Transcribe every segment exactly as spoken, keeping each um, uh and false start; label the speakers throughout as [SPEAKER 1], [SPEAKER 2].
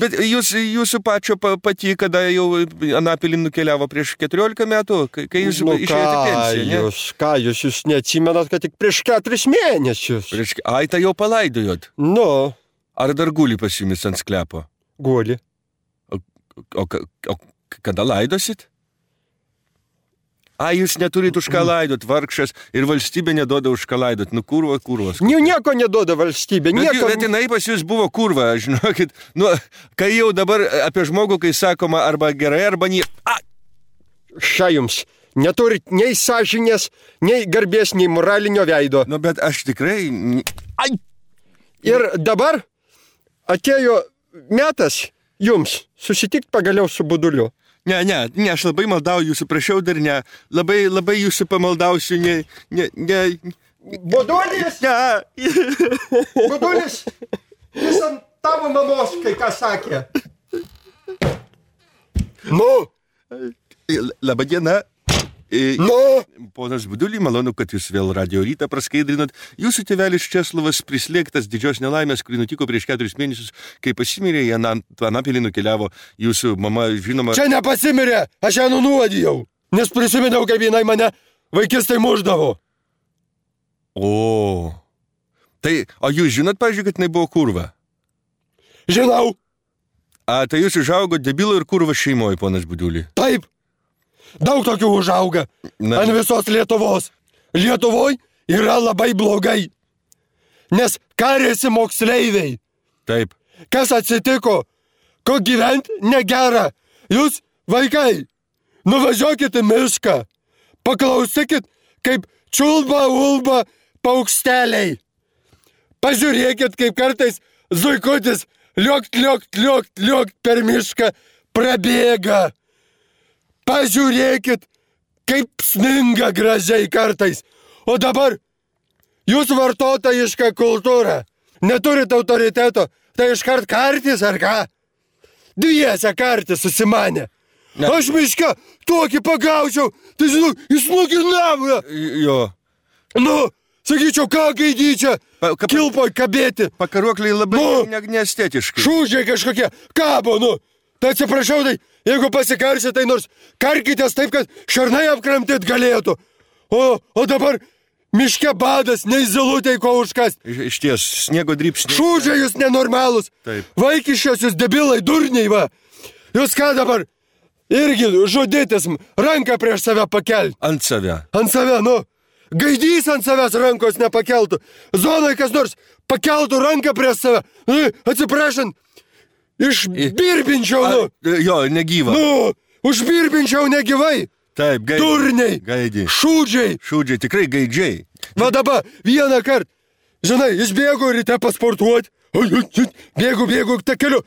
[SPEAKER 1] Bet jūs, jūsų pačio pati, kada jau anapilin nukeliavo prieš keturiolika metų, kai jūs
[SPEAKER 2] nu,
[SPEAKER 1] išėjote pensiją, ne?
[SPEAKER 2] Jūs, ką jūs, jūs neatsimenat, kad tik prieš keturis mėnesius.
[SPEAKER 1] Prieš, ai, tai jau palaidojot.
[SPEAKER 2] Nu.
[SPEAKER 1] Ar dar guli pas jumis ant sklepo?
[SPEAKER 2] Guli.
[SPEAKER 1] O, o, o kada laidosit? A, jūs neturit už ką laidot, vargšas, ir valstybė neduoda už ką laidot. Nu, kurva, kurvas.
[SPEAKER 2] Ne, nieko neduoda valstybė.
[SPEAKER 1] Bet,
[SPEAKER 2] nieko...
[SPEAKER 1] bet jinai pas jūs buvo kurva, žinokit. Nu, kai jau dabar apie žmogų, kai sakoma arba gerai, arba nie... A!
[SPEAKER 2] Šia jums. Neturit nei sąžinės, nei garbės, nei moralinio veido.
[SPEAKER 1] Nu, bet aš tikrai... Ai!
[SPEAKER 2] Ir dabar atėjo metas jums susitikti pagaliau su Buduliu.
[SPEAKER 1] Ne, ne, ne, aš labai maldauju jūsų, prašiau dar ne. Labai, labai jūsų pamaldausiu, ne, ne, ne.
[SPEAKER 2] Budulis!
[SPEAKER 1] Ne.
[SPEAKER 2] Budulis! Jis ant tavo mamos, kai ką sakė. Nu?
[SPEAKER 1] Labą dieną.
[SPEAKER 2] Nu?
[SPEAKER 1] Ponas Budulį, malonu, kad jūs vėl Radio Rytą praskaidrinot. Jūsų tėvelis Česlovas prislėgtas didžios nelaimės, kuri nutiko prieš keturis mėnesius, kai pasimirė, į Anapilį nukeliavo jūsų mama, žinoma...
[SPEAKER 2] Čia nepasimirė, aš ją nunuodijau, nes prisiminiau, kaip jinai mane vaikistai muždavo.
[SPEAKER 1] O, tai, o jūs žinot, pavyzdžiui, kad jinai buvo kurva?
[SPEAKER 2] Žinau.
[SPEAKER 1] A, tai jūs užaugot debilo ir kurva šeimoje, ponas Budulį?
[SPEAKER 2] Taip. Daug tokių užauga. Na. Ant visos Lietuvos. Lietuvoj yra labai blogai. Nes karėsi moksleiviai.
[SPEAKER 1] Taip.
[SPEAKER 2] Kas atsitiko? Ko gyventi negera. Jūs, vaikai, nuvažiuokit į mišką. Paklausykit, kaip čiulba, ulba paukšteliai. Pažiūrėkit, kaip kartais zuikutis liuokt, liuokt, liuokt, liuokt per mišką prabėga. Pažiūrėkit, kaip sminga gražiai kartais. O dabar jūs vartotojiška kultūra. Neturit autoriteto, tai iškart kartis ar ką? Dviese kartis susimanė. Ne. Aš miške tokį pagaučiau, tai žinau, jis nuginavo.
[SPEAKER 1] Jo.
[SPEAKER 2] Nu, sakyčiau, ką gaidyčia, pa, ka, kilpoj kabėti.
[SPEAKER 1] Pakaruokliai labai nu, ne, neestetiškai.
[SPEAKER 2] Šūdžiai kažkokie, kabo, nu. Tai atsiprašau, tai jeigu pasikarsit, tai nors karkitės taip, kad šarnai apkramtyt galėtų. O, o dabar miške badas, nei zilutei ko užkast.
[SPEAKER 1] Iš ties, sniego drybsniai.
[SPEAKER 2] Šūdžiai jūs nenormalus.
[SPEAKER 1] Taip.
[SPEAKER 2] Vaikiščios jūs debilai, durniai, va. Jūs ką dabar? Irgi žudytis, ranką prieš save pakelti.
[SPEAKER 1] Ant save.
[SPEAKER 2] Ant save, nu. Gaidys ant savęs rankos nepakeltų. Zonai kas nors pakeltų ranką prieš save. Nu, atsiprašant. Išbirbinčiau, nu.
[SPEAKER 1] A, jo, negyva.
[SPEAKER 2] Nu, užbirbinčiau negyvai.
[SPEAKER 1] Taip, gaidžiai.
[SPEAKER 2] Turniai.
[SPEAKER 1] Gaidžiai.
[SPEAKER 2] Šūdžiai.
[SPEAKER 1] Šūdžiai, tikrai gaidžiai.
[SPEAKER 2] Va dabar, vieną kartą, žinai, išbėgu ryte pasportuoti. Bėgu, bėgu, tą keliu.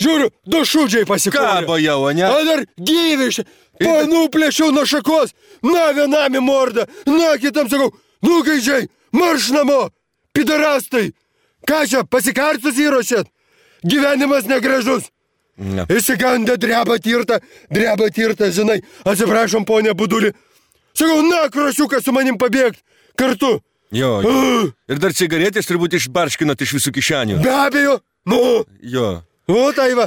[SPEAKER 2] Žiūriu, du šūdžiai pasikūrė.
[SPEAKER 1] Kabo jau, ne?
[SPEAKER 2] A dar gyvišė. Panuplėšiau nuo šakos. Na, vienam į mordą. Na, kitam sakau, nu gaidžiai, marš namo. Pidarastai. Ką čia, pasikartus įrošėt? Gyvenimas negražus. Ne. Įsigandę dreba tirta, dreba tirta, žinai. Atsiprašom, ponė Budulį. Sakau, na, krosiukas su manim pabėgt. Kartu.
[SPEAKER 1] Jo, jo. Uh. Ir dar cigaretės turbūt išbarškinot iš visų kišenių.
[SPEAKER 2] Be abejo. Nu.
[SPEAKER 1] Jo.
[SPEAKER 2] O tai va,